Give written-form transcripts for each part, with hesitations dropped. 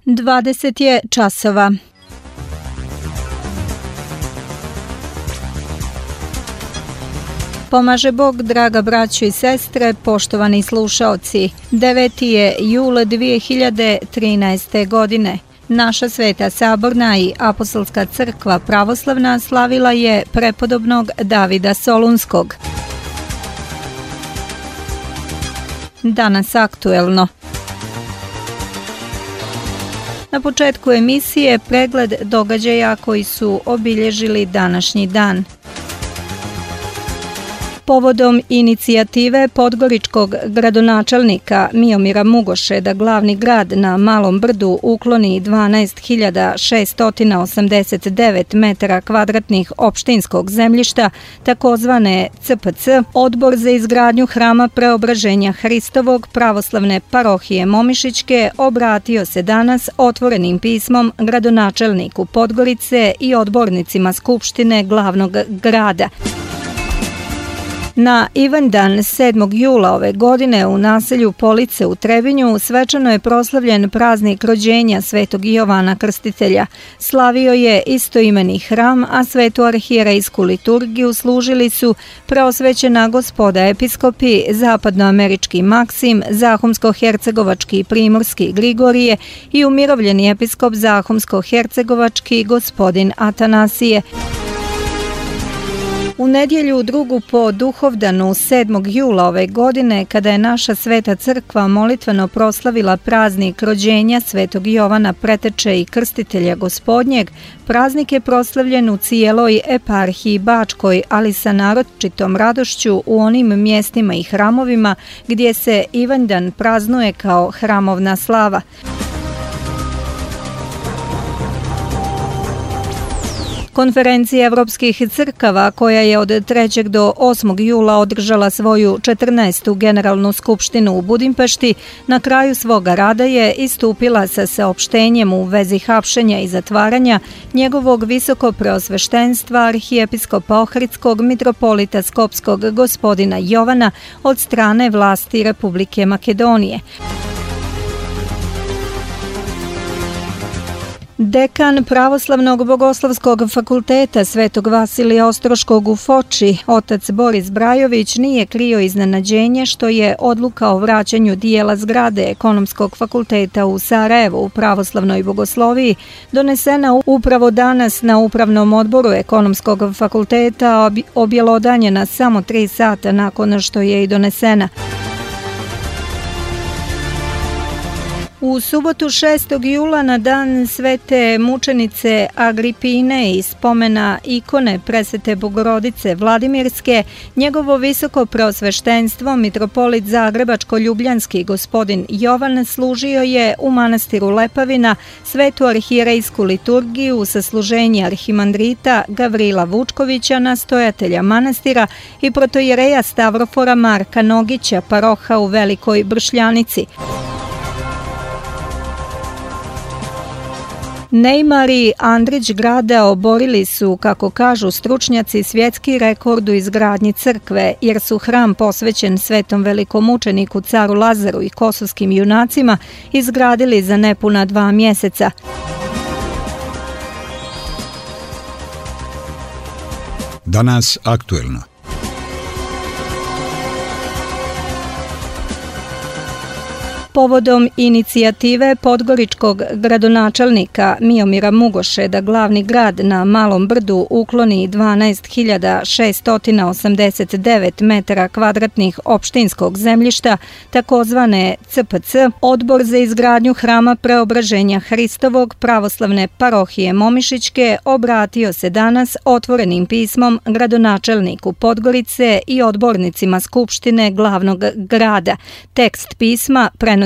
20 je časova. Pomaže Bog, draga braćo i sestre, poštovani slušaoci. 9. je jul 2013. godine. Naša Sveta Saborna i Apostolska crkva pravoslavna slavila je prepodobnog Davida Solunskog. Danas aktuelno. Na početku emisije pregled događaja koji su obilježili današnji dan. Povodom inicijative podgoričkog gradonačelnika Miomira Mugoše da glavni grad na Malom Brdu ukloni 12.689 metara kvadratnih opštinskog zemljišta, takozvane CPC, Odbor za izgradnju Hrama Preobraženja Hristovog pravoslavne parohije Momišićke obratio se danas otvorenim pismom gradonačelniku Podgorice i odbornicima Skupštine glavnog grada. Na Ivandan 7. jula ove godine u naselju Police u Trebinju svečano je proslavljen praznik rođenja Svetog Jovana Krstitelja. Slavio je istoimeni hram, a svetu arhijerejsku liturgiju služili su preosvećena gospoda episkopi, zapadnoamerički Maksim, zahumsko-hercegovački i primorski Grigorije i umirovljeni episkop zahumsko-hercegovački gospodin Atanasije. U nedjelju drugu po duhovdanu 7. jula ove godine, kada je naša Sveta crkva molitveno proslavila praznik rođenja Svetog Jovana Preteče i Krstitelja Gospodnjeg, praznik je proslavljen u cijeloj eparhiji Bačkoj, ali sa naročitom radošću u onim mjestima i hramovima gdje se Ivandan praznuje kao hramovna slava. Konferencija Evropskih crkava, koja je od 3. do 8. jula održala svoju 14. generalnu skupštinu u Budimpešti, na kraju svoga rada je istupila sa saopštenjem u vezi hapšenja i zatvaranja njegovog visokopreosveštenstva arhijepiskopa Ohridskog mitropolita Skopskog gospodina Jovana od strane vlasti Republike Makedonije. Dekan Pravoslavnog bogoslovskog fakulteta Svetog Vasilija Ostroškog u Foči, otac Boris Brajović, nije krio iznenađenje što je odluka o vraćanju dijela zgrade Ekonomskog fakulteta u Sarajevu u pravoslavnoj bogosloviji donesena upravo danas na Upravnom odboru Ekonomskog fakulteta, objelodanjena samo 3 sata nakon što je i donesena. U subotu 6. jula na dan Svete mučenice Agripine i spomena ikone Presvete Bogorodice Vladimirske, njegovo visoko preosveštenstvo mitropolit Zagrebačko-Ljubljanski gospodin Jovan služio je u manastiru Lepavina svetu arhijerejsku liturgiju sa služenja arhimandrita Gavrila Vučkovića, nastojatelja manastira, i protojereja Stavrofora Marka Nogića, paroha u Velikoj Bršljanici. Neymar i Andrić grada oborili su, kako kažu stručnjaci, svjetski rekord u izgradnji crkve, jer su hram posvećen svetom velikomučeniku caru Lazaru i kosovskim junacima izgradili za nepuna 2 mjeseca. Danas aktuelno. Povodom inicijative podgoričkog gradonačelnika Miomira Mugoše da glavni grad na Malom Brdu ukloni 12.689 metara kvadratnih opštinskog zemljišta, takozvane CPC, Odbor za izgradnju Hrama Preobraženja Hristovog pravoslavne parohije Momišićke obratio se danas otvorenim pismom gradonačelniku Podgorice i odbornicima Skupštine glavnog grada. Tekst pisma prenosimo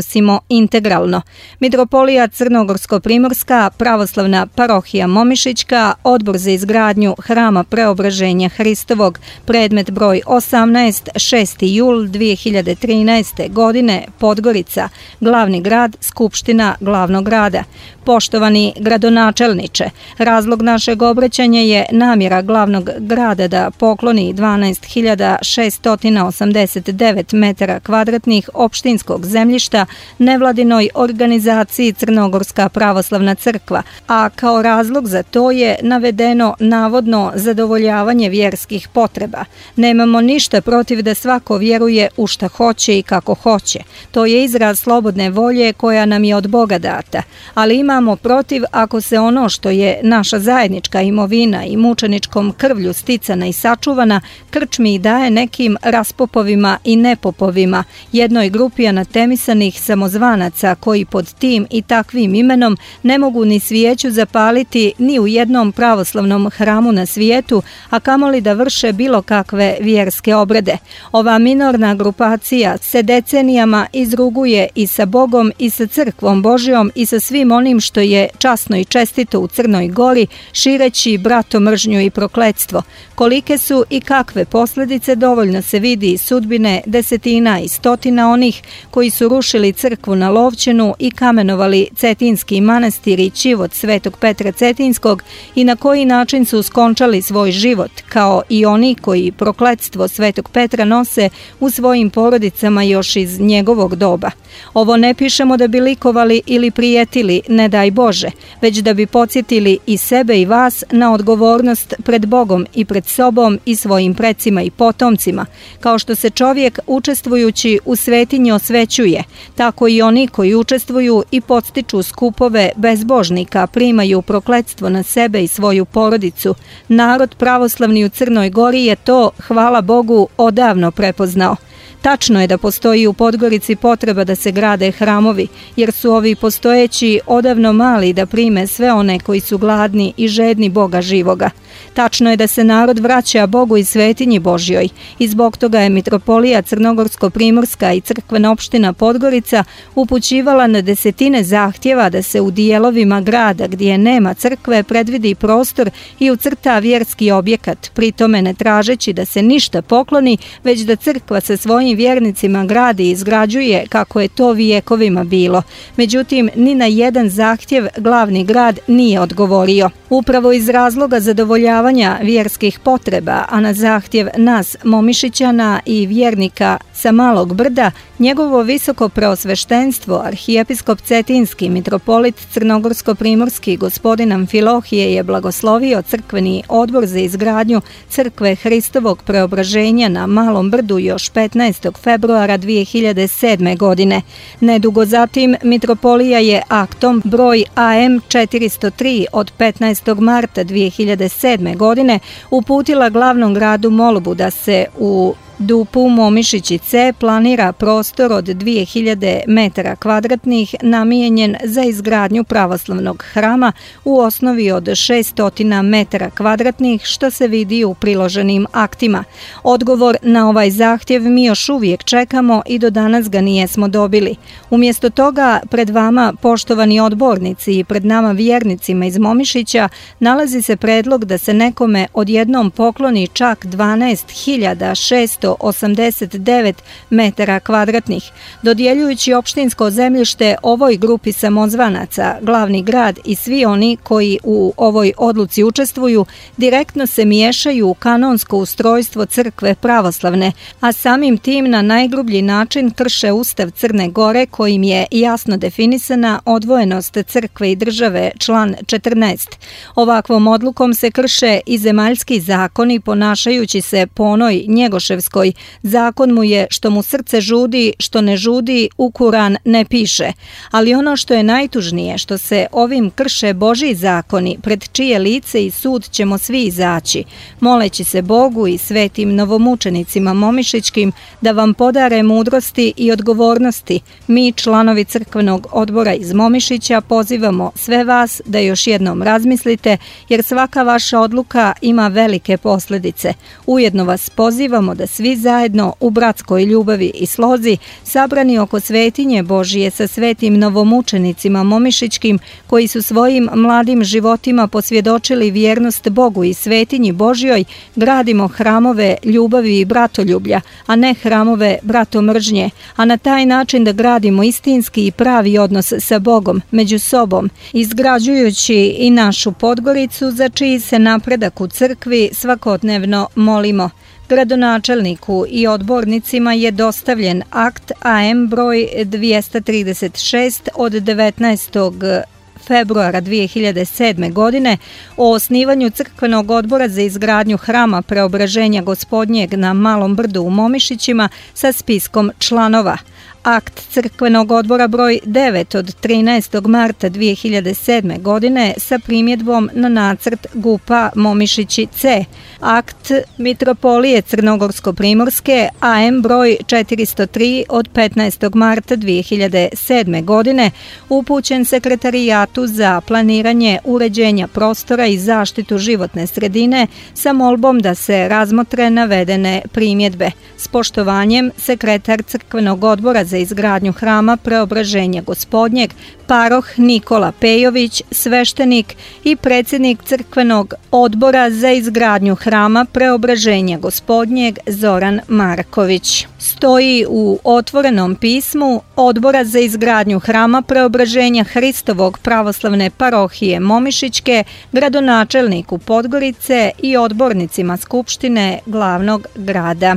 integralno. Mitropolija Crnogorsko-primorska pravoslavna parohija Momišićka, Odbor za izgradnju Hrama Preobraženja Hristovog, predmet broj 18, 6. jul 2013. godine, Podgorica, glavni grad, Skupština glavnog grada. Poštovani gradonačelniče, razlog našeg obraćanja je namjera glavnog grada da pokloni 12.689 metara kvadratnih opštinskog zemljišta podrška nevladinoj organizaciji Crnogorska pravoslavna crkva, a kao razlog za to je navedeno navodno zadovoljavanje vjerskih potreba. Nemamo ništa protiv da svako vjeruje u šta hoće i kako hoće. To je izraz slobodne volje koja nam je od Boga data, ali imamo protiv ako se ono što je naša zajednička imovina i mučeničkom krvlju sticana i sačuvana krčmi i daje nekim raspopovima i nepopovima, jednoj grupi anatemisanih samozvanaca koji pod tim i takvim imenom ne mogu ni svijeću zapaliti ni u jednom pravoslavnom hramu na svijetu, a kamoli da vrše bilo kakve vjerske obrede. Ova minorna grupacija se decenijama izruguje i sa Bogom i sa crkvom Božjom i sa svim onim što je časno i čestito u Crnoj Gori, šireći bratomržnju i prokletstvo. Kolike su i kakve posljedice dovoljno se vidi iz sudbine desetina i stotina onih koji su rušili crkvu na Lovćenu i kamenovali Cetinski manastir i ćivot Svetog Petra Cetinskog i na koji način su skončali svoj život, kao i oni koji prokletstvo Svetog Petra nose u svojim porodicama još iz njegovog doba. Ovo ne pišemo da bi likovali ili prijetili, ne daj Bože, već da bi podsjetili i sebe i vas na odgovornost pred Bogom i pred sobom i svojim precima i potomcima. Kao što se čovjek učestvujući u svetinji osvećuje, tako i oni koji učestvuju i podstiču skupove bezbožnika primaju prokletstvo na sebe i svoju porodicu. Narod pravoslavni u Crnoj Gori je to, hvala Bogu, odavno prepoznao. Tačno je da postoji u Podgorici potreba da se grade hramovi, jer su ovi postojeći odavno mali da prime sve one koji su gladni i žedni Boga živoga. Tačno je da se narod vraća Bogu i svetinji Božjoj i zbog toga je mitropolija Crnogorsko-primorska i crkvena opština Podgorica upućivala na desetine zahtjeva da se u dijelovima grada gdje nema crkve predvidi prostor i ucrta vjerski objekat, pri tome ne tražeći da se ništa pokloni, već da crkva sa svojim vjernicima gradi i izgrađuje kako je to vijekovima bilo. Međutim, ni na jedan zahtjev glavni grad nije odgovorio. Upravo iz razloga zadovoljavanja vjerskih potreba, a na zahtjev nas Momišićana i vjernika sa Malog Brda, njegovo visoko preosveštenstvo, arhijepiskop Cetinski, mitropolit Crnogorsko-primorski gospodin Amfilohije je blagoslovio crkveni odbor za izgradnju crkve Hristovog preobraženja na Malom Brdu još 15. februara 2007. godine. Nedugo zatim mitropolija je aktom broj AM 403 od 15. marta 2007. godine uputila glavnom gradu molbu da se u Dupu Momišići C planira prostor od 2000 metara kvadratnih namijenjen za izgradnju pravoslavnog hrama u osnovi od 600 metara kvadratnih, što se vidi u priloženim aktima. Odgovor na ovaj zahtjev mi još uvijek čekamo i do danas ga nijesmo dobili. Umjesto toga, pred vama, poštovani odbornici, i pred nama vjernicima iz Momišića nalazi se predlog da se nekome odjednom pokloni čak 12.689 metara kvadratnih. Dodjeljujući opštinsko zemljište ovoj grupi samozvanaca, glavni grad i svi oni koji u ovoj odluci učestvuju direktno se miješaju u kanonsko ustrojstvo crkve pravoslavne, a samim tim na najgrublji način krše Ustav Crne Gore kojim je jasno definisana odvojenost crkve i države, član 14. Ovakvom odlukom se krše i zemaljski zakoni ponašajući se po onoj njegoševskoj: zakon mu je što mu srce žudi, što ne žudi u Kuran ne piše. Ali ono što je najtužnije, što se ovim krše Božji zakoni, pred čije lice i sud ćemo svi izaći, moleći se Bogu i svetim novomučenicima momišićkim da vam podare mudrosti i odgovornosti. Mi, članovi crkvenog odbora iz Momišića, pozivamo sve vas da još jednom razmislite, jer svaka vaša odluka ima velike posljedice. Ujedno vas pozivamo da svi zajedno u bratskoj ljubavi i slozi, sabrani oko svetinje Božije sa svetim novomučenicima momišićkim, koji su svojim mladim životima posvjedočili vjernost Bogu i svetinji Božjoj, gradimo hramove ljubavi i bratoljublja, a ne hramove bratomržnje, a na taj način da gradimo istinski i pravi odnos sa Bogom, među sobom, izgrađujući i našu Podgoricu za čiji se napredak u crkvi svakodnevno molimo. Gradonačelniku i odbornicima je dostavljen akt AM broj 236 od 19. februara 2007. godine o osnivanju Crkvenog odbora za izgradnju Hrama Preobraženja Gospodnjeg na Malom Brdu u Momišićima sa spiskom članova. Akt Crkvenog odbora broj 9 od 13. marta 2007. godine sa primjedbom na nacrt GUP-a Momišići C. Akt Mitropolije Crnogorsko-Primorske AM broj 403 od 15. marta 2007. godine upućen Sekretarijatu za planiranje uređenja prostora i zaštitu životne sredine sa molbom da se razmotre navedene primjedbe. S poštovanjem, sekretar Crkvenog odbora za izgradnju Hrama Preobraženja Gospodnjeg, paroh Nikola Pejović, sveštenik i predsjednik Crkvenog odbora za izgradnju Hrama Preobraženja Gospodnjeg Zoran Marković. Stoji u otvorenom pismu Odbora za izgradnju Hrama Preobraženja Hristovog pravoslavne parohije Momišićke, gradonačelniku Podgorice i odbornicima Skupštine glavnog grada.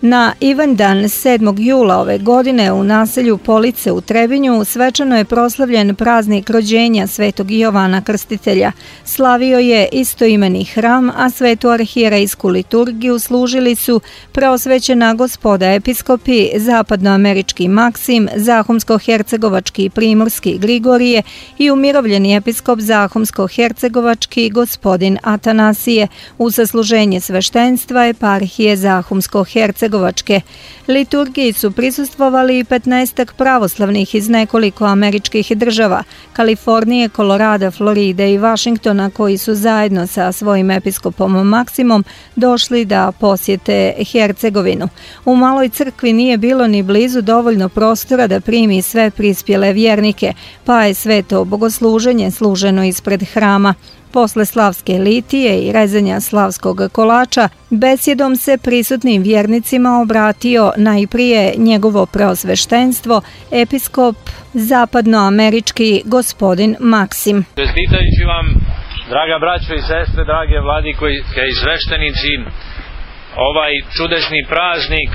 Na Ivandan 7. jula ove godine u naselju Police u Trebinju svečano je proslavljen praznik rođenja Svetog Jovana Krstitelja. Slavio je istoimeni hram, a svetu arhijerejsku liturgiju služili su preosvećena gospoda episkopi, zapadnoamerički Maksim, zahumsko-hercegovački i primorski Grigorije i umirovljeni episkop zahumsko-hercegovački gospodin Atanasije, u sasluženje sveštenstva eparhije Zahumsko-hercegovačke. Liturgiji su prisustvovali i 15 pravoslavnih iz nekoliko američkih država, Kalifornije, Kolorada, Floride i Vašingtona, koji su zajedno sa svojim episkopom Maksimom došli da posjete Hercegovinu. U maloj crkvi nije bilo ni blizu dovoljno prostora da primi sve prispjele vjernike, pa je sveto bogosluženje služeno ispred hrama. Posle slavske litije i rezanja slavskog kolača, besjedom se prisutnim vjernicima obratio najprije njegovo preosveštenstvo, episkop zapadnoamerički gospodin Maksim. Čestitajući vam, draga braćo i sestre, drage vladike i sveštenici, ovaj čudesni praznik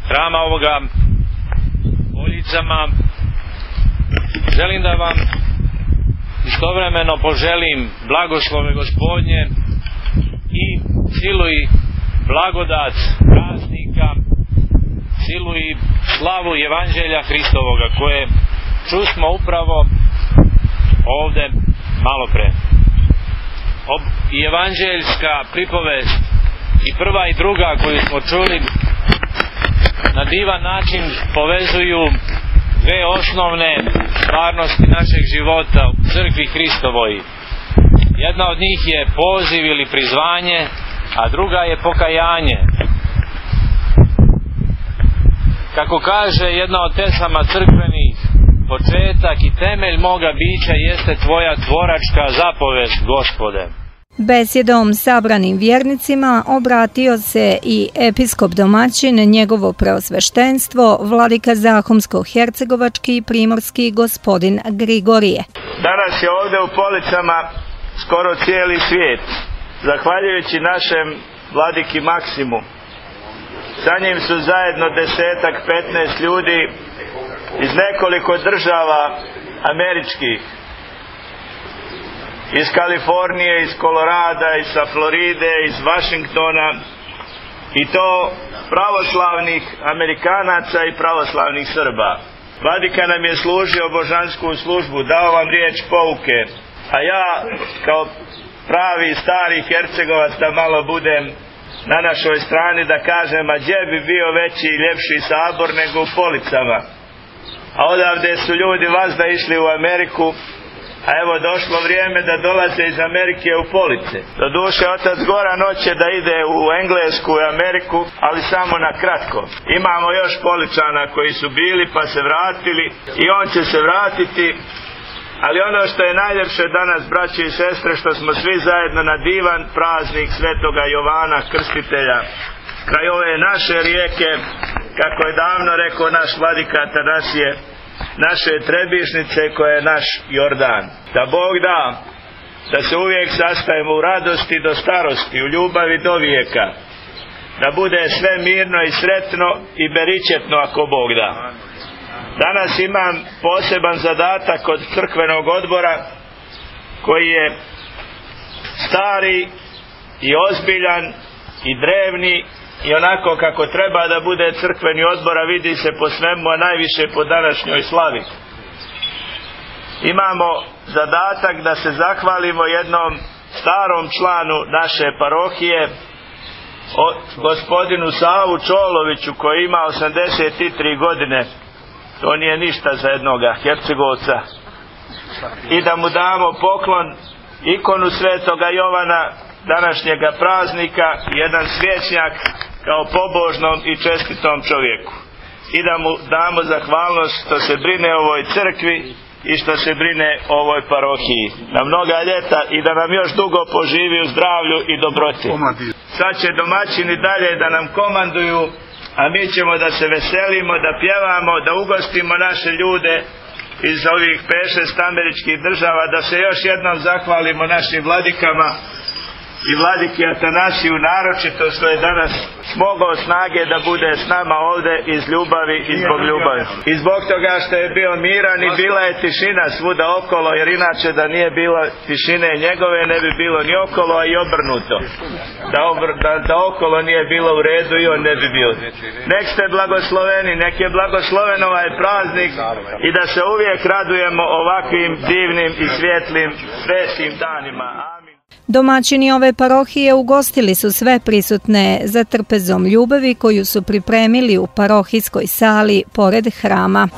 hrama ovoga Poljicama, želim da vam istovremeno poželim blagoslove Gospodnje i silu i blagodat praznika, silu i slavu Evanđelja Hristovoga, koje čusmo upravo ovde malo pre. I evanđeljska pripovest i prva i druga koju smo čuli na divan način povezuju dve osnovne stvarnosti našeg života u crkvi Hristovoj. Jedna od njih je poziv ili prizvanje, a druga je pokajanje. Kako kaže jedna od pesama crkvenih, početak i temelj moga bića jeste tvoja tvoračka zapovest, Gospode. Besjedom sabranim vjernicima obratio se i episkop domaćin, njegovo preosveštenstvo, vladika Zahumsko-hercegovački i primorski gospodin Grigorije. Danas je ovdje u Policama skoro cijeli svijet, zahvaljujući našem vladiki Maksimu. Sa njim su zajedno 10-15 ljudi iz nekoliko država američkih, iz Kalifornije, iz Kolorada, iz Floride, iz Vašingtona, i to pravoslavnih Amerikanaca i pravoslavnih Srba. Vladika nam je služio božansku službu, dao vam riječ pouke, a ja kao pravi stari Hercegovac da malo budem na našoj strani, da kažem, a gdje bi bio veći i ljepši sabor nego u Policama. A odavde su ljudi vazda išli u Ameriku, a evo došlo vrijeme da dolaze iz Amerike u Police. Doduše, otac Goran hoće da ide u Englesku i Ameriku, ali samo na kratko. Imamo još Poličana koji su bili pa se vratili i on će se vratiti. Ali ono što je najljepše danas, braći i sestre, što smo svi zajedno na divan praznik Svetoga Jovana Krstitelja kraj ove naše rijeke, kako je davno rekao naš vladika Atanasije, naše Trebišnice koja je naš Jordan. Da Bog da, da se uvijek sastajemo u radosti do starosti, u ljubavi do vijeka, da bude sve mirno i sretno i beričetno ako Bog da. Danas imam poseban zadatak od crkvenog odbora koji je stari i ozbiljan i drevni i onako kako treba da bude crkveni odbor, a vidi se po svemu, a najviše po današnjoj slavi. Imamo zadatak da se zahvalimo jednom starom članu naše parohije, gospodinu Savu Čoloviću, koji ima 83 godine. To nije ništa za jednoga Hercegovca. I da mu damo poklon, ikonu Svetoga Jovana, današnjega praznika, jedan svjećnjak kao pobožnom i čestitom čovjeku. I da mu damo zahvalnost što se brine o ovoj crkvi i što se brine o ovoj parohiji na mnoga ljeta i da nam još dugo poživi u zdravlju i dobroti. Sad će domaćini dalje da nam komanduju, a mi ćemo da se veselimo, da pjevamo, da ugostimo naše ljude iz ovih 5-6 američkih država, da se još jednom zahvalimo našim vladikama i vladiki Atanasiju naročito što je danas smogao snage da bude s nama ovdje iz ljubavi i zbog ljubavi. I zbog toga što je bio miran i bila je tišina svuda okolo, jer inače da nije bilo tišine njegove ne bi bilo ni okolo, a i obrnuto. Da okolo nije bilo u redu i on ne bi bio. Nek ste blagosloveni, nek je blagosloven ovaj praznik i da se uvijek radujemo ovakvim divnim i svjetlim svetim danima. Domaćini ove parohije ugostili su sve prisutne za trpezom ljubavi koju su pripremili u parohijskoj sali pored hrama.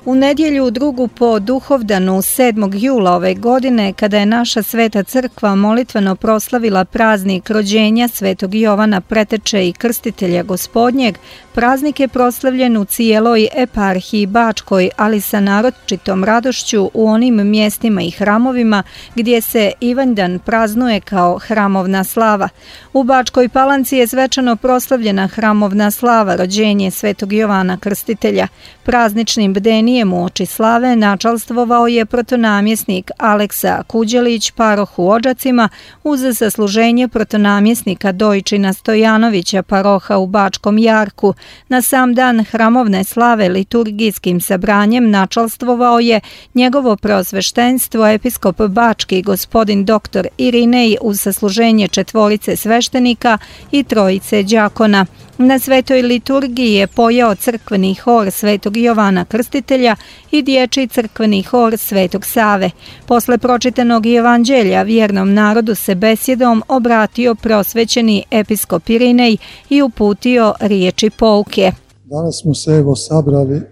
U nedjelju drugu po Duhovdanu 7. jula ove godine, kada je naša Sveta crkva molitveno proslavila praznik rođenja Svetog Jovana Preteče i Krstitelja Gospodnjeg, praznik je proslavljen u cijeloj eparhiji Bačkoj, ali sa naročitom radošću u onim mjestima i hramovima gdje se Ivanjdan praznuje kao hramovna slava. U Bačkoj Palanci je svečano proslavljena hramovna slava rođenje Svetog Jovana Krstitelja. Prazničnim bdenijem uoči slave načalstvovao je protonamjesnik Aleksa Kuđelić paroh u Odžacima uz zasluženje protonamjesnika Dojčina Stojanovića paroha u Bačkom Jarku. Na sam dan hramovne slave liturgijskim sabranjem načalstvovao je njegovo preosveštenstvo episkop Bački gospodin dr. Irinej uz sasluženje 4 sveštenika i 3 đakona. Na svetoj liturgiji je pojeo crkveni hor Svetog Jovana Krstitelja i dječji crkveni hor Svetog Save. Posle pročitanog evanđelja vjernom narodu se besjedom obratio preosvećeni episkop Irinej i uputio riječi pouke. Danas smo se sabrali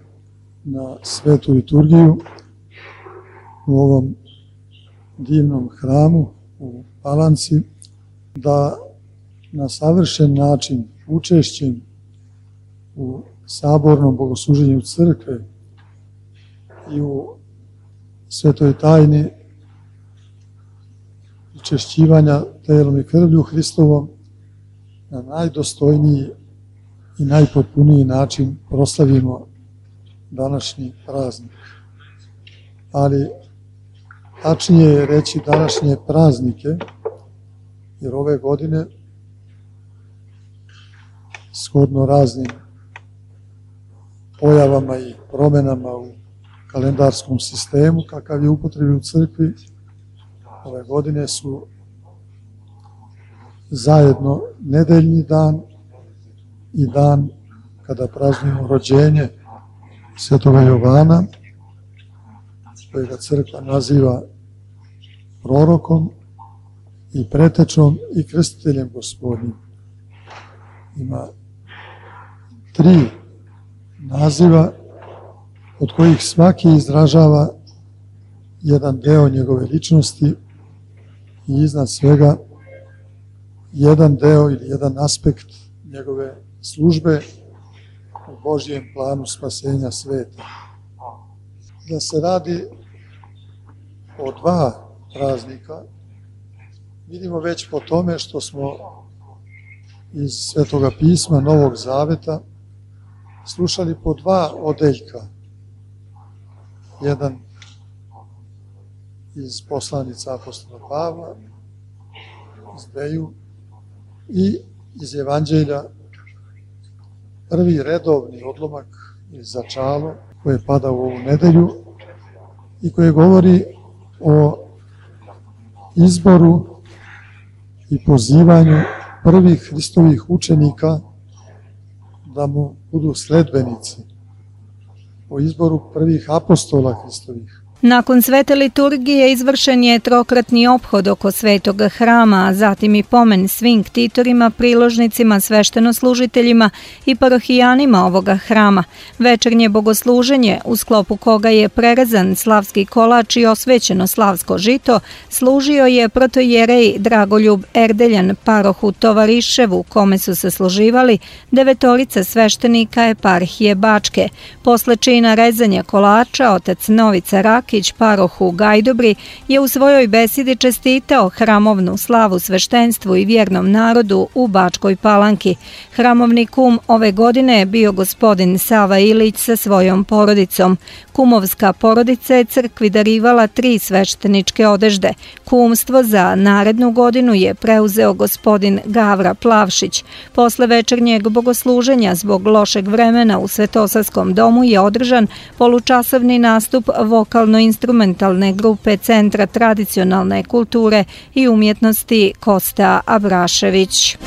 na svetu liturgiju u ovom divnom hramu u Palanci da na savršen način učešćem u sabornom bogosluženju crkve i u svetoj tajni učešćivanja telom i krvlju Hristovom na najdostojniji i najpotpuniji način proslavimo današnji praznik. Ali tačnije je reći današnje praznike, jer ove godine shodno raznim pojavama i promjenama u kalendarskom sistemu kakav je upotrebi u crkvi, ove godine su zajedno nedeljni dan i dan kada praznujemo rođenje Svetoga Jovana, kojega crkva naziva prorokom i pretečom i krstiteljem Gospodnjim. Ima 3 naziva od kojih svaki izražava jedan deo njegove ličnosti i iznad svega jedan deo ili jedan aspekt njegove službe u Božjem planu spasenja sveta. Da se radi o 2 praznika vidimo već po tome što smo iz Svetoga pisma Novog Zaveta slušali po 2 odeljka. Jedan iz Poslanica apostola Pavla, iz dveju, i iz Evanđelja prvi redovni odlomak iz začalo koje pada u ovu nedelju i koje govori o izboru i pozivanju prvih Hristovih učenika da mu budu sledbenici, o izboru prvih apostola Hristovih. Nakon svete liturgije izvršen je trokratni ophod oko svetog hrama, a zatim i pomen svim ktitorima, priložnicima, sveštenoslužiteljima i parohijanima ovoga hrama. Večernje bogosluženje, u sklopu koga je prerezan slavski kolač i osvećeno slavsko žito, služio je protojerej Dragoljub Erdeljan parohu Tovariševu, kome su se služivali 9 sveštenika eparhije Bačke. Posle čina rezanja kolača, otac Novica Rakić, parohu Gajdobri, je u svojoj besedi čestitao hramovnu slavu sveštenstvu i vjernom narodu u Bačkoj Palanki. Hramovni kum ove godine je bio gospodin Sava Ilić sa svojom porodicom. Kumovska porodica je crkvi darivala 3 svešteničke odežde. Kumstvo za narednu godinu je preuzeo gospodin Gavra Plavšić. Posle večernjeg bogosluženja zbog lošeg vremena u Svetosarskom domu je održan polučasovni nastup vokalno-instrumentalne grupe Centra tradicionalne kulture i umjetnosti Kosta Abrašević.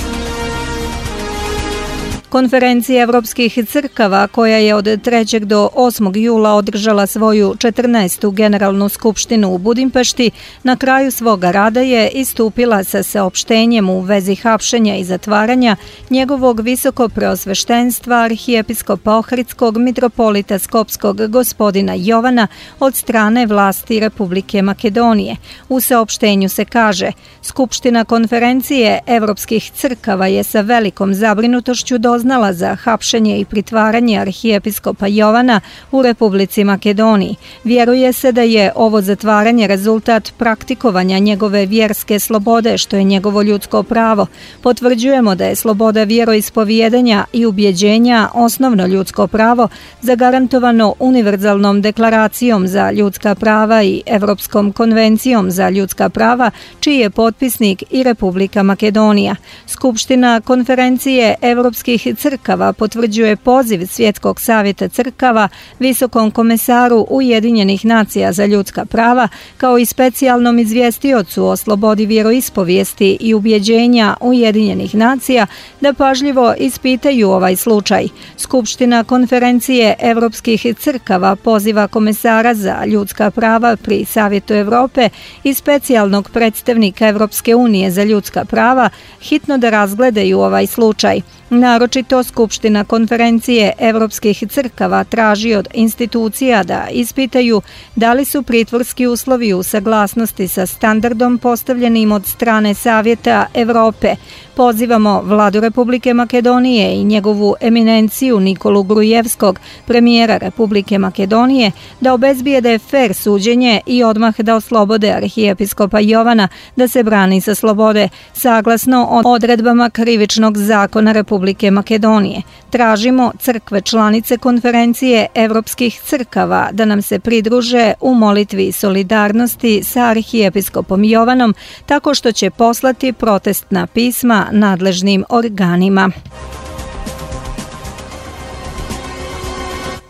Konferencija evropskih crkava, koja je od 3. do 8. jula održala svoju 14. generalnu skupštinu u Budimpešti, na kraju svoga rada je istupila sa saopštenjem u vezi hapšenja i zatvaranja njegovog visokopreosveštenstva arhijepiskopa Ohridskog mitropolita Skopskog gospodina Jovana od strane vlasti Republike Makedonije. U saopštenju se kaže: Skupština konferencije evropskih crkava je sa velikom zabrinutošću doznala za hapšenje i pritvaranje arhijepiskopa Jovana u Republici Makedoniji. Vjeruje se da je ovo zatvaranje rezultat praktikovanja njegove vjerske slobode, što je njegovo ljudsko pravo. Potvrđujemo da je sloboda vjeroispovijedanja i ubjeđenja osnovno ljudsko pravo zagarantovano Univerzalnom deklaracijom za ljudska prava i Evropskom konvencijom za ljudska prava, čiji je potpisnik i Republika Makedonija. Skupština konferencije evropskih crkava potvrđuje poziv Svjetskog savjeta crkava Visokom komesaru Ujedinjenih nacija za ljudska prava, kao i specijalnom izvjestiocu o slobodi vjeroispovijesti i ubjeđenja Ujedinjenih nacija da pažljivo ispitaju ovaj slučaj. Skupština konferencije evropskih crkava poziva komesara za ljudska prava pri Savjetu Evrope i specijalnog predstavnika Evropske unije za ljudska prava hitno da razgledaju ovaj slučaj. Naročito Skupština konferencije evropskih crkava traži od institucija da ispitaju da li su pritvorski uslovi u saglasnosti sa standardom postavljenim od strane Savjeta Evrope. Pozivamo Vladu Republike Makedonije i njegovu eminenciju Nikolu Grujevskog, premijera Republike Makedonije, da obezbijede fer suđenje i odmah da oslobode arhijepiskopa Jovana da se brani sa slobode, saglasno odredbama krivičnog zakona Republike Makedonije. Tražimo crkve članice konferencije evropskih crkava da nam se pridruže u molitvi solidarnosti sa arhijepiskopom Jovanom, tako što će poslati protestna pisma nadležnim organima.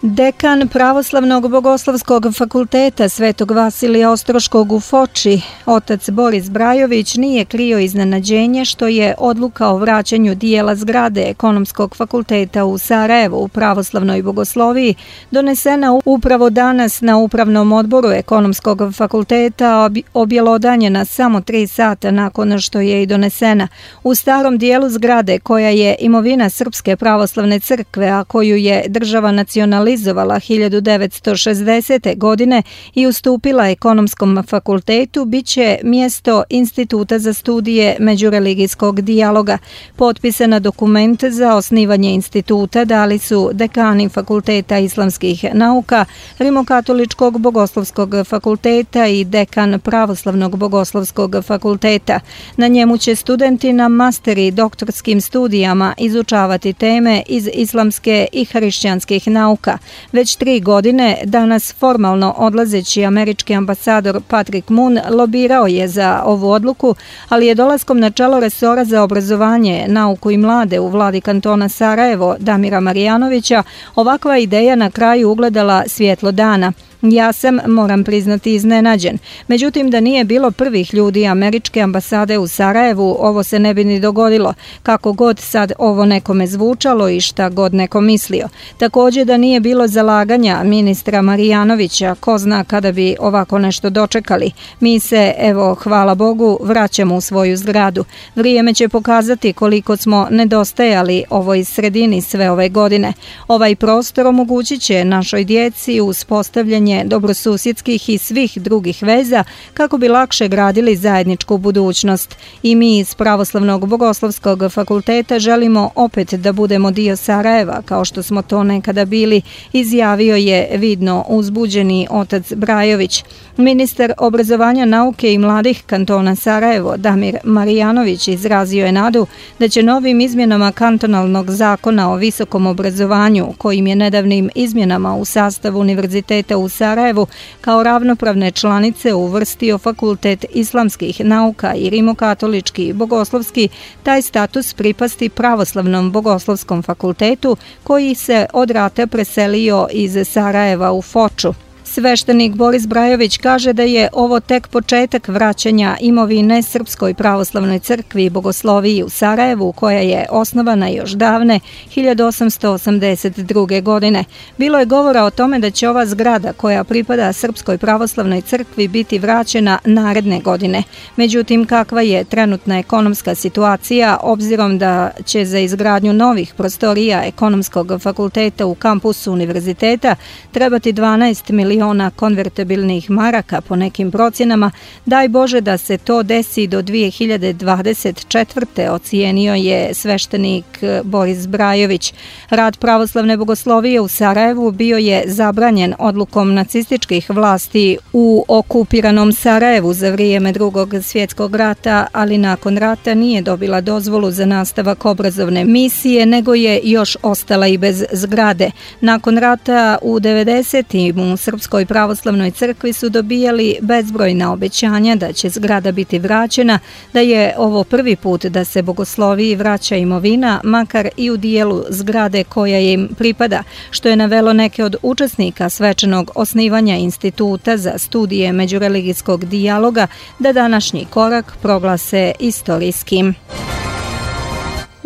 Dekan Pravoslavnog bogoslovskog fakulteta Svetog Vasilija Ostroškog u Foči, otac Boris Brajović, nije krio iznenađenje što je odluka o vraćanju dijela zgrade Ekonomskog fakulteta u Sarajevu u pravoslavnoj bogosloviji donesena upravo danas na upravnom odboru Ekonomskog fakulteta, objelodanjena samo 3 sata nakon što je i donesena. U starom dijelu zgrade, koja je imovina Srpske pravoslavne crkve, a koju je država nacionalizovala 1960. godine i ustupila Ekonomskom fakultetu, biće mjesto Instituta za studije međureligijskog dijaloga. Potpisana dokument za osnivanje instituta dali su dekani Fakulteta islamskih nauka, Rimokatoličkog bogoslovskog fakulteta i dekan Pravoslavnog bogoslovskog fakulteta. Na njemu će studenti na master i doktorskim studijama izučavati teme iz islamske i hrišćanskih nauka. Sarajevovaca. Već 3 godine, danas formalno odlazeći američki ambasador Patrick Moon lobirao je za ovu odluku, ali je dolaskom na čelo resora za obrazovanje, nauku i mlade u vladi kantona Sarajevo Damira Marijanovića ovakva ideja na kraju ugledala svjetlo dana. Ja sam, moram priznati, iznenađen. Međutim, da nije bilo prvih ljudi američke ambasade u Sarajevu, ovo se ne bi ni dogodilo, kako god sad ovo nekome zvučalo i šta god neko mislio. Također da nije bilo zalaganja ministra Marijanovića, ko zna kada bi ovako nešto dočekali. Mi se, evo, hvala Bogu, vraćamo u svoju zgradu. Vrijeme će pokazati koliko smo nedostajali ovoj sredini sve ove godine. Ovaj prostor omogućit će našoj djeci uspostavljanje dobrosusjedskih i svih drugih veza kako bi lakše gradili zajedničku budućnost. I mi iz Pravoslavnog bogoslovskog fakulteta želimo opet da budemo dio Sarajeva, kao što smo to nekada bili, izjavio je vidno uzbuđeni otac Brajović. Ministar obrazovanja, nauke i mladih kantona Sarajevo Damir Marijanović izrazio je nadu da će novim izmjenama kantonalnog zakona o visokom obrazovanju, kojim je nedavnim izmjenama u sastavu univerziteta u Sarajevu kao ravnopravne članice uvrstio Fakultet islamskih nauka i rimokatolički bogoslovski, taj status pripasti Pravoslavnom bogoslovskom fakultetu koji se od rata preselio iz Sarajeva u Foču. Sveštenik Boris Brajović kaže da je ovo tek početak vraćanja imovine Srpskoj pravoslavnoj crkvi i bogosloviji u Sarajevu, koja je osnovana još davne 1882. godine. Bilo je govora o tome da će ova zgrada koja pripada Srpskoj pravoslavnoj crkvi biti vraćena naredne godine. Međutim, kakva je trenutna ekonomska situacija, obzirom da će za izgradnju novih prostorija Ekonomskog fakulteta u kampusu univerziteta trebati 12 miliona konvertibilnih maraka po nekim procjenama, daj Bože da se to desi do 2024. ocijenio je sveštenik Boris Brajović. Rad pravoslavne bogoslovije u Sarajevu bio je zabranjen odlukom nacističkih vlasti u okupiranom Sarajevu za vrijeme Drugog svjetskog rata, ali nakon rata nije dobila dozvolu za nastavak obrazovne misije, nego je još ostala i bez zgrade. Nakon rata u 90. u Srpskoj pravoslavnoj crkvi su dobijali bezbrojna obećanja da će zgrada biti vraćena, da je ovo prvi put da se bogosloviji vraća imovina, makar i u dijelu zgrade koja im pripada, što je navelo neke od učesnika svečanog osnivanja Instituta za studije međureligijskog dijaloga da današnji korak proglase istorijskim.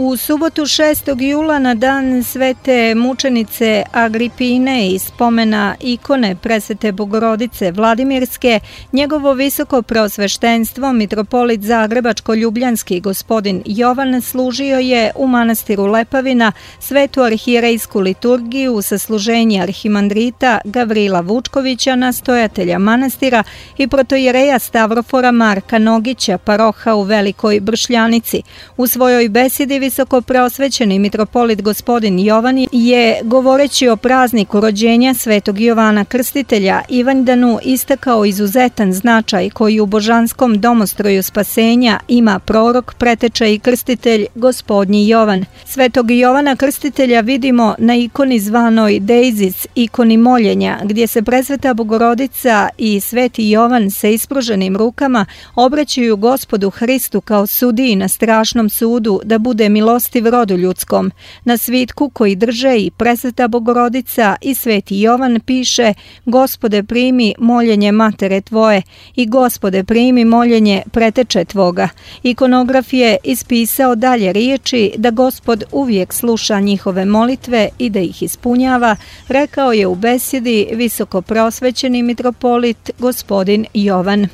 U subotu 6. jula na dan svete mučenice Agripine i spomena ikone presvete Bogorodice Vladimirske, njegovo visoko preosveštenstvo mitropolit Zagrebačko-ljubljanski gospodin Jovan služio je u manastiru Lepavina svetu arhijerejsku liturgiju sa služenja arhimandrita Gavrila Vučkovića, nastojatelja manastira, i protojereja Stavrofora Marka Nogića, paroha u Velikoj Bršljanici. U svojoj besedi visoko preosvećeni mitropolit gospodin Jovan je, govoreći o prazniku rođenja svetog Jovana Krstitelja, Ivandanu istakao izuzetan značaj koji u božanskom domostroju spasenja ima prorok, preteča i krstitelj gospodnji Jovan. Svetog Jovana Krstitelja vidimo na ikoni zvanoj Deizis, ikoni moljenja, gdje se presveta Bogorodica i sveti Jovan sa ispruženim rukama obraćaju Gospodu Hristu kao sudiji na strašnom sudu da bude milostiv rodu ljudskom. Na svitku koji drže i presveta Bogorodica i sveti Jovan piše: Gospode, primi moljenje matere tvoje i Gospode, primi moljenje preteče tvoga. Ikonograf je ispisao dalje riječi da Gospod uvijek sluša njihove molitve i da ih ispunjava, rekao je u besedi visoko preosvećeni mitropolit gospodin Jovan.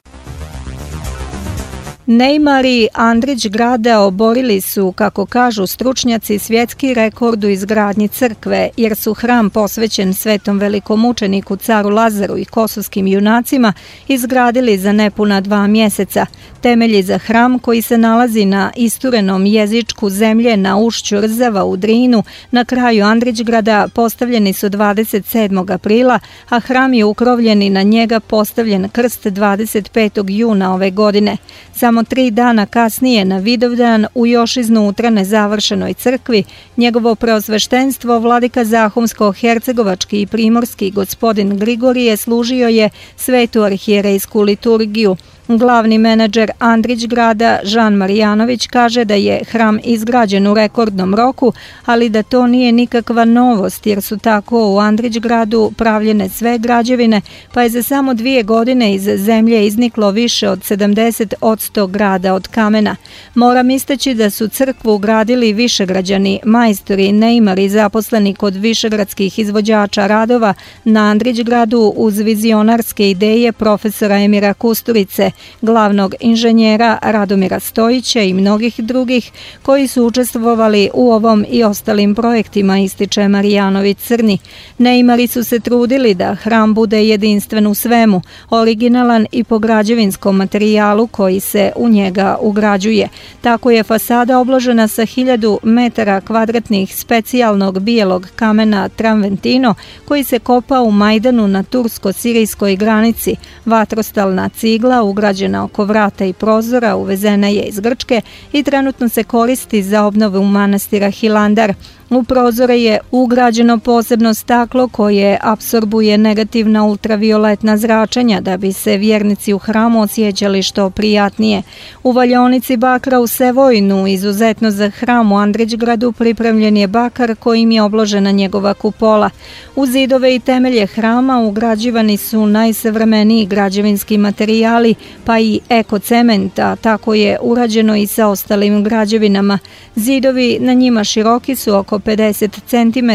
Neymar i Andrić Grada oborili su, kako kažu stručnjaci, svjetski rekord u izgradnji crkve, jer su hram posvećen svetom velikomučeniku caru Lazaru i kosovskim junacima izgradili za nepuna 2 mjeseca. Temelji za hram, koji se nalazi na isturenom jezičku zemlje na ušću Rzava u Drinu, na kraju Andrićgrada, postavljeni su 27. aprila, a hram je ukrovljen i na njega postavljen krst 25. juna ove godine. Samo samo 3 dana kasnije na Vidovdan u još iznutra nezavršenoj crkvi, njegovo preosveštenstvo vladika Zahumsko-hercegovački i primorski gospodin Grigorije služio je svetu arhijerejsku liturgiju. Glavni menadžer Andrićgrada Žan Marijanović kaže da je hram izgrađen u rekordnom roku, ali da to nije nikakva novost jer su tako u Andrićgradu pravljene sve građevine, pa je za samo 2 godine iz zemlje izniklo više od 70% grada od kamena. Moram istaći da su crkvu gradili višegrađani, majstori, neimari zaposleni kod višegradskih izvođača radova na Andrićgradu uz vizionarske ideje profesora Emira Kusturice, glavnog inženjera Radomira Stojića i mnogih drugih koji su učestvovali u ovom i ostalim projektima, ističe Marijanović Crni. Neimari su se trudili da hram bude jedinstven u svemu, originalan i po građevinskom materijalu koji se u njega ugrađuje. Tako je fasada obložena sa 1000 metara kvadratnih specijalnog bijelog kamena Traventino koji se kopa u Majdanu na tursko-sirijskoj granici. Vatrostalna cigla ugrađena oko vrata i prozora uvezena je iz Grčke i trenutno se koristi za obnovu manastira Hilandar. U prozore je ugrađeno posebno staklo koje apsorbuje negativna ultravioletna zračenja da bi se vjernici u hramu osjećali što prijatnije. U valjaonici bakra u Sevojnu, izuzetno za hram u Andrićgradu, pripremljen je bakar kojim je obložena njegova kupola. U zidove i temelje hrama ugrađivani su najsavremeniji građevinski materijali, pa i ekocement, a tako je urađeno i sa ostalim građevinama. Zidovi na njima široki su oko 50 cm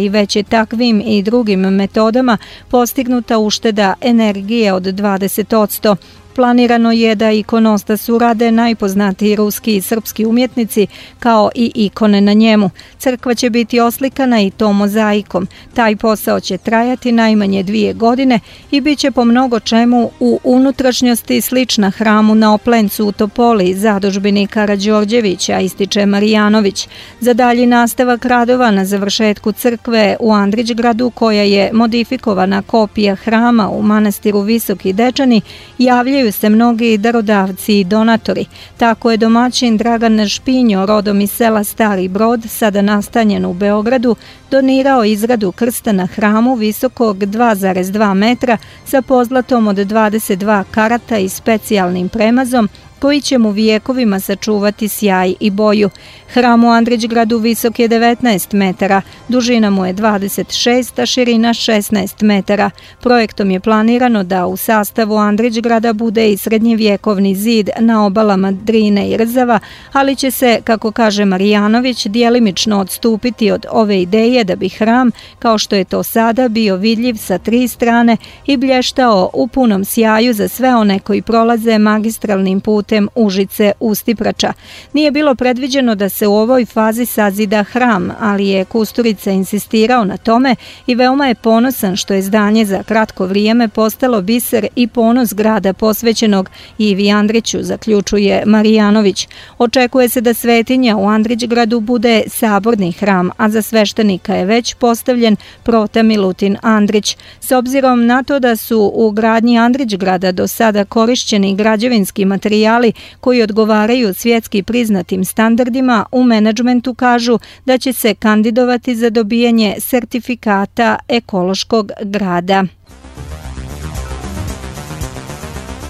i već je takvim i drugim metodama postignuta ušteda energije od 20%. Planirano je da ikonostas urade najpoznatiji ruski i srpski umjetnici kao i ikone na njemu. Crkva će biti oslikana i to mozaikom. Taj posao će trajati najmanje 2 godine i bit će po mnogo čemu u unutrašnjosti slična hramu na Oplencu u Topoli, zadužbini Karađorđevića, ističe Marijanović. Za dalji nastavak radova na završetku crkve u Andrićgradu, koja je modifikovana kopija hrama u manastiru Visoki Dečani, javljaju se mnogi darodavci i donatori. Tako je domaćin Dragan Špinjo, rodom iz sela Stari Brod, sada nastanjen u Beogradu, donirao izradu krsta na hramu visokog 2,2 metra sa pozlatom od 22 karata i specijalnim premazom, koji će mu vijekovima sačuvati sjaj i boju. Hram u Andrićgradu visok je 19 metara, dužina mu je 26, a širina 16 metara. Projektom je planirano da u sastavu Andrićgrada bude i srednjevjekovni zid na obalama Drine i Rzava, ali će se, kako kaže Marijanović, djelimično odstupiti od ove ideje da bi hram, kao što je to sada, bio vidljiv sa 3 strane i blještao u punom sjaju za sve one koji prolaze magistralnim putem Užice-Ustiprača. Nije bilo predviđeno da se u ovoj fazi sazida hram, ali je Kusturica insistirao na tome i veoma je ponosan što je zdanje za kratko vrijeme postalo biser i ponos grada posvećenog Ivi Andriću, zaključuje Marijanović. Očekuje se da svetinja u Andrićgradu bude saborni hram, a za sveštenika je već postavljen prota Milutin Andrić. S obzirom na to da su u gradnji Andrićgrada do sada korišćeni građevinski materijali koji odgovaraju svjetski priznatim standardima, u menadžmentu kažu da će se kandidovati za dobijanje sertifikata ekološkog grada.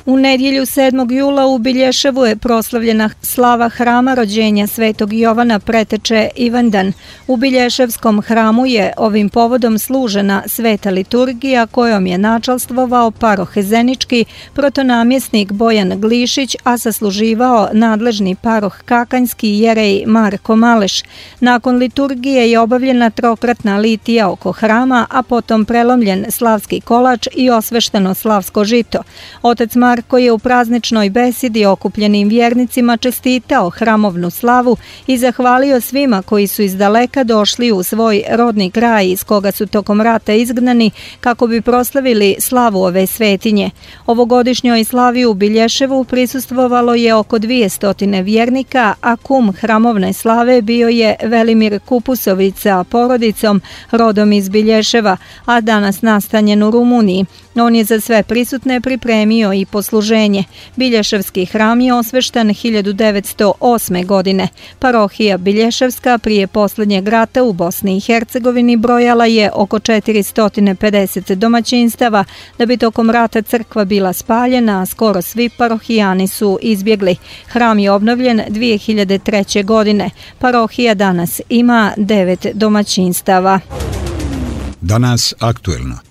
U nedjelju 7. jula u Bilješevu je proslavljena slava hrama rođenja Svetog Jovana Preteče Ivandan. U Bilješevskom hramu je ovim povodom služena sveta liturgija kojom je načalstvovao parohezenički protonamjesnik Bojan Glišić, a sasluživao nadležni paroh Kakanjski jerej Marko Maleš. Nakon liturgije je obavljena trokratna litija oko hrama, a potom prelomljen slavski kolač i osvešteno slavsko žito. Otac Marko je u prazničnoj besedi okupljenim vjernicima čestitao hramovnu slavu i zahvalio svima koji su iz daleka došli u svoj rodni kraj iz koga su tokom rata izgnani kako bi proslavili slavu ove svetinje. Ovogodišnjoj slavi u Bilješevu prisustvovalo je oko 200 vjernika, a kum hramovne slave bio je Velimir Kupusović sa porodicom rodom iz Bilješeva, a danas nastanjen u Rumuniji. On je za sve prisutne pripremio i po bogosluženje. Bilješevski hram je osveštan 1908. godine. Parohija Bilješevska prije posljednjeg rata u Bosni i Hercegovini brojala je oko 450 domaćinstava, da bi tokom rata crkva bila spaljena, a skoro svi parohijani su izbjegli. Hram je obnovljen 2003. godine. Parohija danas ima 9 domaćinstava. Danas aktuelno.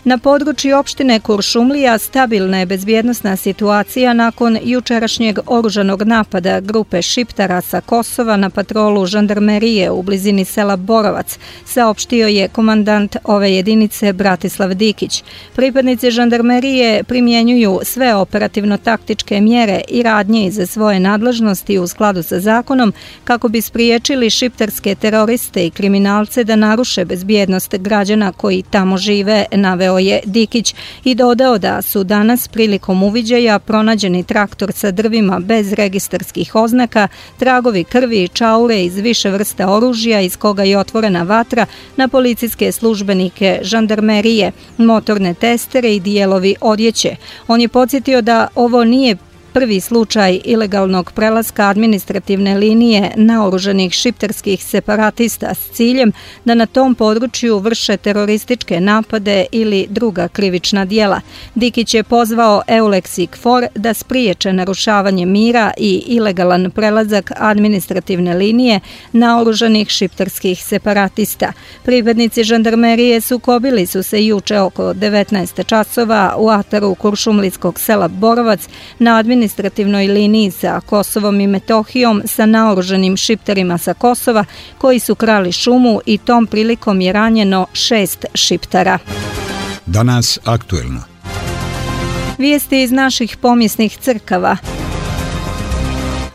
Na području opštine Kuršumlija stabilna je bezbjednosna situacija nakon jučerašnjeg oružanog napada grupe Šiptara sa Kosova na patrolu žandarmerije u blizini sela Borovac, saopštio je komandant ove jedinice Bratislav Dikić. Pripadnici žandarmerije primjenjuju sve operativno-taktičke mjere i radnje iz svoje nadležnosti u skladu sa zakonom kako bi spriječili šiptarske teroriste i kriminalce da naruše bezbjednost građana koji tamo žive, naveo je Dikić i dodao da su danas prilikom uviđaja pronađeni traktor sa drvima bez registarskih oznaka, tragovi krvi i čaure iz više vrsta oružja iz koga je otvorena vatra na policijske službenike žandarmerije, motorne testere i dijelovi odjeće. On je podsjetio da ovo nije prvi slučaj ilegalnog prelaska administrativne linije naoružanih šiptarskih separatista s ciljem da na tom području vrše terorističke napade ili druga krivična djela. Dikić je pozvao EULEX i KFOR da spriječe narušavanje mira i ilegalan prelazak administrativne linije naoružanih šiptarskih separatista. Pripadnici žandarmerije sukobili su se juče oko 19 časova u ataru kuršumlijskog sela Borovac na administrativnoj liniji sa Kosovom i Metohijom sa naoruženim šiptarima sa Kosova koji su krali šumu i tom prilikom je ranjeno 6 šiptara. Danas aktuelno. Vijesti iz naših pomjesnih crkava.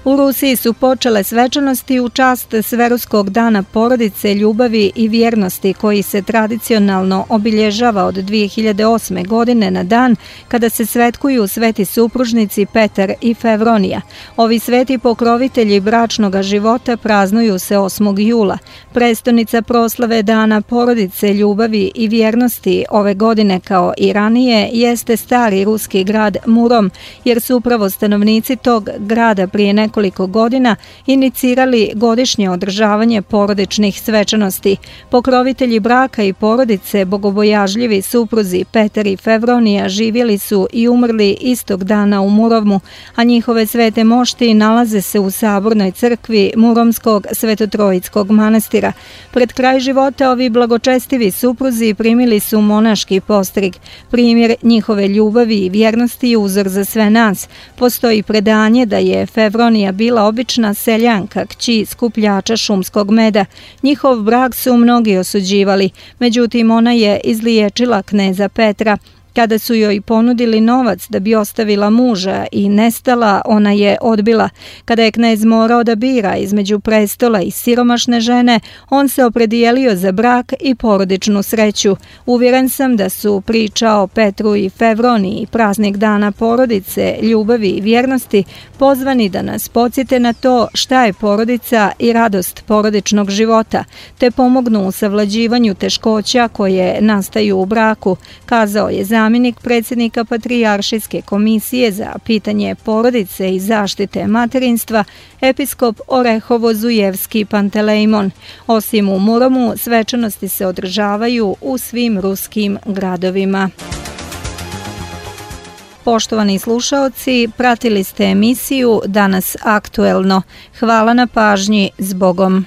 U Rusiji su počele svečanosti u čast Sveruskog dana porodice, ljubavi i vjernosti koji se tradicionalno obilježava od 2008. godine na dan kada se svetkuju sveti supružnici Petar i Fevronija. Ovi sveti pokrovitelji bračnog života praznuju se 8. jula. Prestonica proslave dana porodice, ljubavi i vjernosti ove godine kao i ranije jeste stari ruski grad Murom, jer su upravo stanovnici tog grada prije nekoliko godina inicirali godišnje održavanje porodičnih svečanosti. Pokrovitelji braka i porodice, bogobojažljivi supruzi Petar i Fevronija živjeli su i umrli istog dana u Murovmu, a njihove svete mošti nalaze se u sabornoj crkvi Muromskog svetotrojickog manastira. Pred kraj života ovi blagočestivi supruzi primili su monaški postrig. Primjer njihove ljubavi i vjernosti je uzor za sve nas. Postoji predanje da je Fevronija bila obična seljanka, kći skupljača šumskog meda. Njihov brak su mnogi osuđivali, međutim ona je izliječila kneza Petra. Kada su joj ponudili novac da bi ostavila muža i nestala, ona je odbila. Kada je knez morao da bira između prestola i siromašne žene, on se opredijelio za brak i porodičnu sreću. Uvjeren sam da su priča o Petru i Fevroniji i praznik dana porodice, ljubavi i vjernosti pozvani da nas podsjete na to šta je porodica i radost porodičnog života, te pomognu u savlađivanju teškoća koje nastaju u braku, kazao je zamjenik predsjednika Patrijaršijske komisije za pitanje porodice i zaštite materinstva, episkop Orehovo-Zujevski Pantelejmon. Osim u Muromu, svečanosti se održavaju u svim ruskim gradovima. Poštovani slušaoci, pratili ste emisiju Danas aktuelno. Hvala na pažnji, zbogom.